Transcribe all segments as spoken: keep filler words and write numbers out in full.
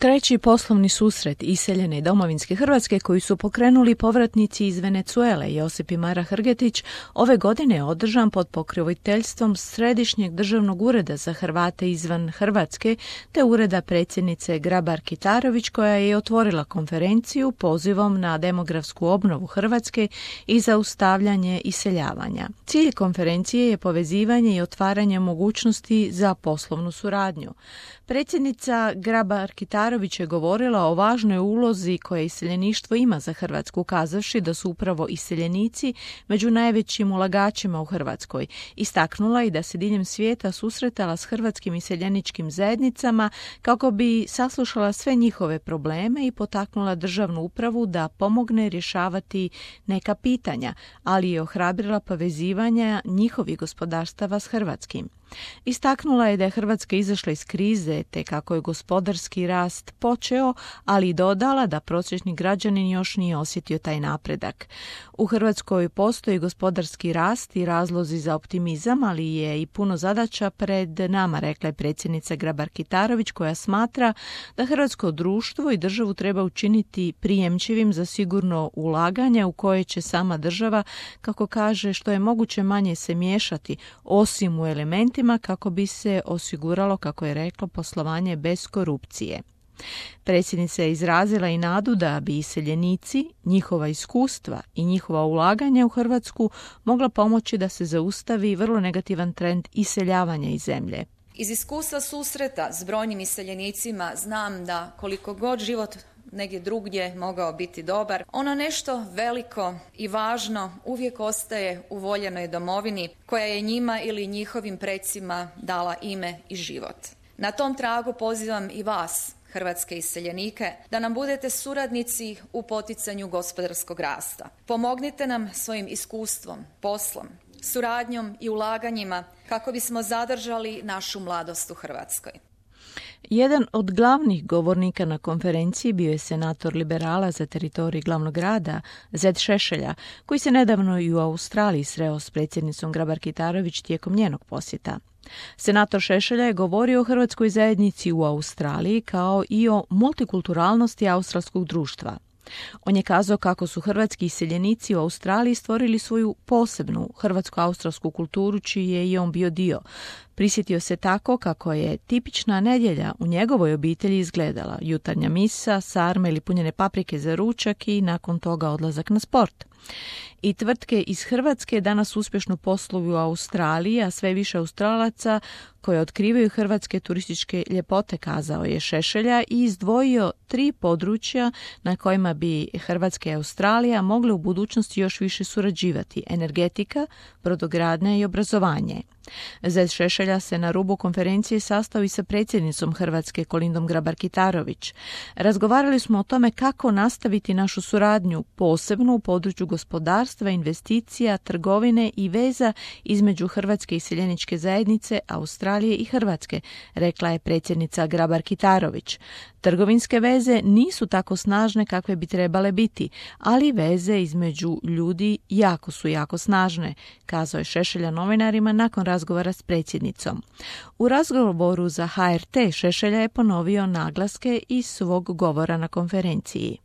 Treći poslovni susret iseljene domovinske Hrvatske koji su pokrenuli povratnici iz Venezuele Josip i Mara Hrgetić ove godine je održan pod pokroviteljstvom Središnjeg državnog ureda za Hrvate izvan Hrvatske te ureda predsjednice Grabar-Kitarović koja je otvorila konferenciju pozivom na demografsku obnovu Hrvatske i zaustavljanje iseljavanja. Cilj konferencije je povezivanje i otvaranje mogućnosti za poslovnu suradnju. Predsjednica Grabar-Kitarović je govorila o važnoj ulozi koje iseljeništvo ima za Hrvatsku, kazavši da su upravo iseljenici među najvećim ulagačima u Hrvatskoj. Istaknula i da se diljem svijeta susretala s hrvatskim iseljeničkim zajednicama kako bi saslušala sve njihove probleme i potaknula državnu upravu da pomogne rješavati neka pitanja, ali je ohrabrila povezivanja njihovih gospodarstava s hrvatskim. Istaknula je da je Hrvatska izašla iz krize te kako je gospodarski rast počeo, ali i dodala da prosječni građanin još nije osjetio taj napredak. U Hrvatskoj postoji gospodarski rast i razlozi za optimizam, ali je i puno zadaća pred nama, rekla je predsjednica Grabar-Kitarović koja smatra da hrvatsko društvo i državu treba učiniti prijemčivim za sigurno ulaganje u koje će sama država, kako kaže, što je moguće manje se miješati, osim u elementima kako bi se osiguralo, kako je reklo, poslovanje bez korupcije. Predsjednica je izrazila i nadu da bi iseljenici, njihova iskustva i njihova ulaganja u Hrvatsku mogla pomoći da se zaustavi vrlo negativan trend iseljavanja iz zemlje. Iz iskustva susreta s brojnim iseljenicima znam da koliko god život negdje drugdje mogao biti dobar, ono nešto veliko i važno uvijek ostaje u voljenoj domovini koja je njima ili njihovim precima dala ime i život. Na tom tragu pozivam i vas, hrvatske iseljenike, da nam budete suradnici u poticanju gospodarskog rasta. Pomognite nam svojim iskustvom, poslom, suradnjom i ulaganjima kako bismo zadržali našu mladost u Hrvatskoj. Jedan od glavnih govornika na konferenciji bio je senator liberala za teritorij glavnog grada Zed Šešelja, koji se nedavno i u Australiji sreo s predsjednicom Grabar-Kitarović tijekom njenog posjeta. Senator Šešelja je govorio o hrvatskoj zajednici u Australiji kao i o multikulturalnosti australskog društva. On je kazao kako su hrvatski iseljenici u Australiji stvorili svoju posebnu hrvatsko-australsku kulturu čiji je i on bio dio. Prisjetio se tako kako je tipična nedjelja u njegovoj obitelji izgledala: jutarnja misa, sarme ili punjene paprike za ručak i nakon toga odlazak na sport. I tvrtke iz Hrvatske danas uspješno posluju u Australiji, a sve više Australaca koje otkrivaju hrvatske turističke ljepote, kazao je Šešelja i izdvojio tri područja na kojima bi Hrvatska i Australija mogle u budućnosti još više surađivati: energetika, brodogradnja i obrazovanje. Zed Šešelja se na rubu konferencije sastao i sa predsjednicom Hrvatske Kolindom Grabar-Kitarović. Razgovarali smo o tome kako nastaviti našu suradnju, posebno u području gospodarstva, investicija, trgovine i veza između Hrvatske iseljeničke zajednice, Australije i Hrvatske, rekla je predsjednica Grabar-Kitarović. Trgovinske veze nisu tako snažne kakve bi trebale biti, ali veze između ljudi jako su jako snažne, kazao je Šešelja novinarima nakon razgovora s predsjednicom. U razgovoru za H R T Šešelja je ponovio naglaske iz svog govora na konferenciji.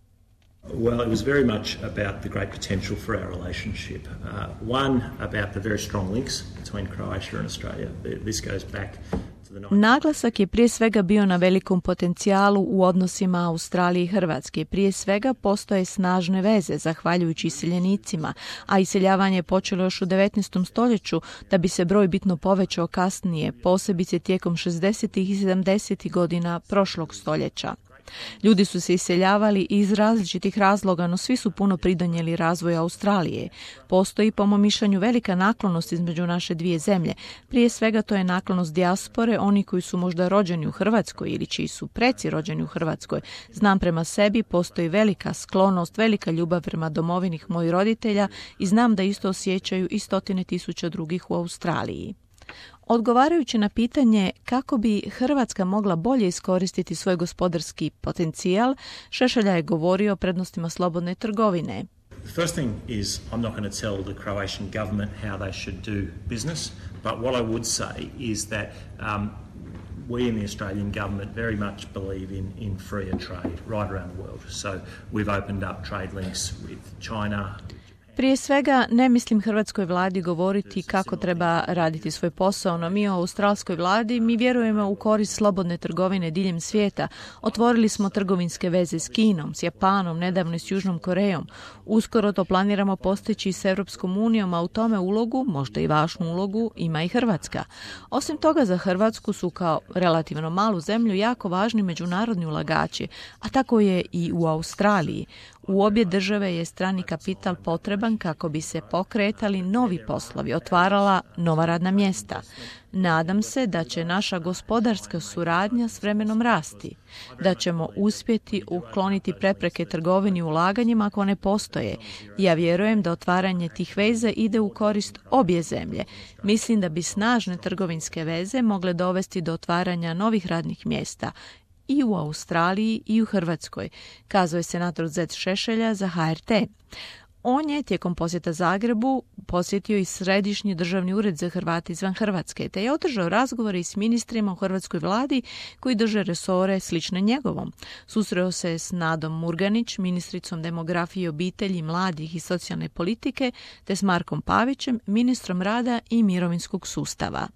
Well, it was very much about the great potential for our relationship. Uh, one, about the very strong links between Croatia and Australia. This goes back to the Naglasak je prije svega bio na velikom potencijalu u odnosima Australije i Hrvatske. Prije svega postoje snažne veze, zahvaljujući iseljenicima, a iseljavanje je počelo još u devetnaestom stoljeću, da bi se broj bitno povećao kasnije, posebice tijekom šezdesetih i sedamdesetih godina prošlog stoljeća. Ljudi su se iseljavali iz različitih razloga, no svi su puno pridonijeli razvoju Australije. Postoji, po mom mišljenju, velika naklonost između naše dvije zemlje. Prije svega to je naklonost dijaspore, oni koji su možda rođeni u Hrvatskoj ili čiji su preci rođeni u Hrvatskoj. Znam prema sebi, postoji velika sklonost, velika ljubav prema domovini mojih roditelja i znam da isto osjećaju i stotine tisuća drugih u Australiji. Odgovarajući na pitanje kako bi Hrvatska mogla bolje iskoristiti svoj gospodarski potencijal, Šešelja je govorio o prednostima slobodne trgovine. The first thing is I'm not going to tell the Croatian government how they should do business, but what I would say is that um, we in the Australian government very much believe in, in freer trade right around the world. So we've opened up trade links with China. Prije svega, ne mislim hrvatskoj vladi govoriti kako treba raditi svoj posao, no mi u australskoj vladi mi vjerujemo u korist slobodne trgovine diljem svijeta. Otvorili smo trgovinske veze s Kinom, s Japanom, nedavno s Južnom Korejom. Uskoro to planiramo postići s Europskom unijom, a u tome ulogu, možda i važnu ulogu, ima i Hrvatska. Osim toga, za Hrvatsku su kao relativno malu zemlju jako važni međunarodni ulagači, a tako je i u Australiji. U obje države je strani kapital potreban kako bi se pokretali novi poslovi, otvarala nova radna mjesta. Nadam se da će naša gospodarska suradnja s vremenom rasti, da ćemo uspjeti ukloniti prepreke trgovini i ulaganjima ako ne postoje. Ja vjerujem da otvaranje tih veza ide u korist obje zemlje. Mislim da bi snažne trgovinske veze mogle dovesti do otvaranja novih radnih mjesta i u Australiji i u Hrvatskoj, kazao je senator Zet Šešelja za H R T. On je tijekom posjeta Zagrebu posjetio i Središnji državni ured za Hrvate izvan Hrvatske, te je održao razgovore i s ministrima u hrvatskoj vladi koji drže resore slične njegovom. Susreo se s Nadom Murganić, ministricom demografije, obitelji, mladih i socijalne politike, te s Markom Pavićem, ministrom rada i mirovinskog sustava.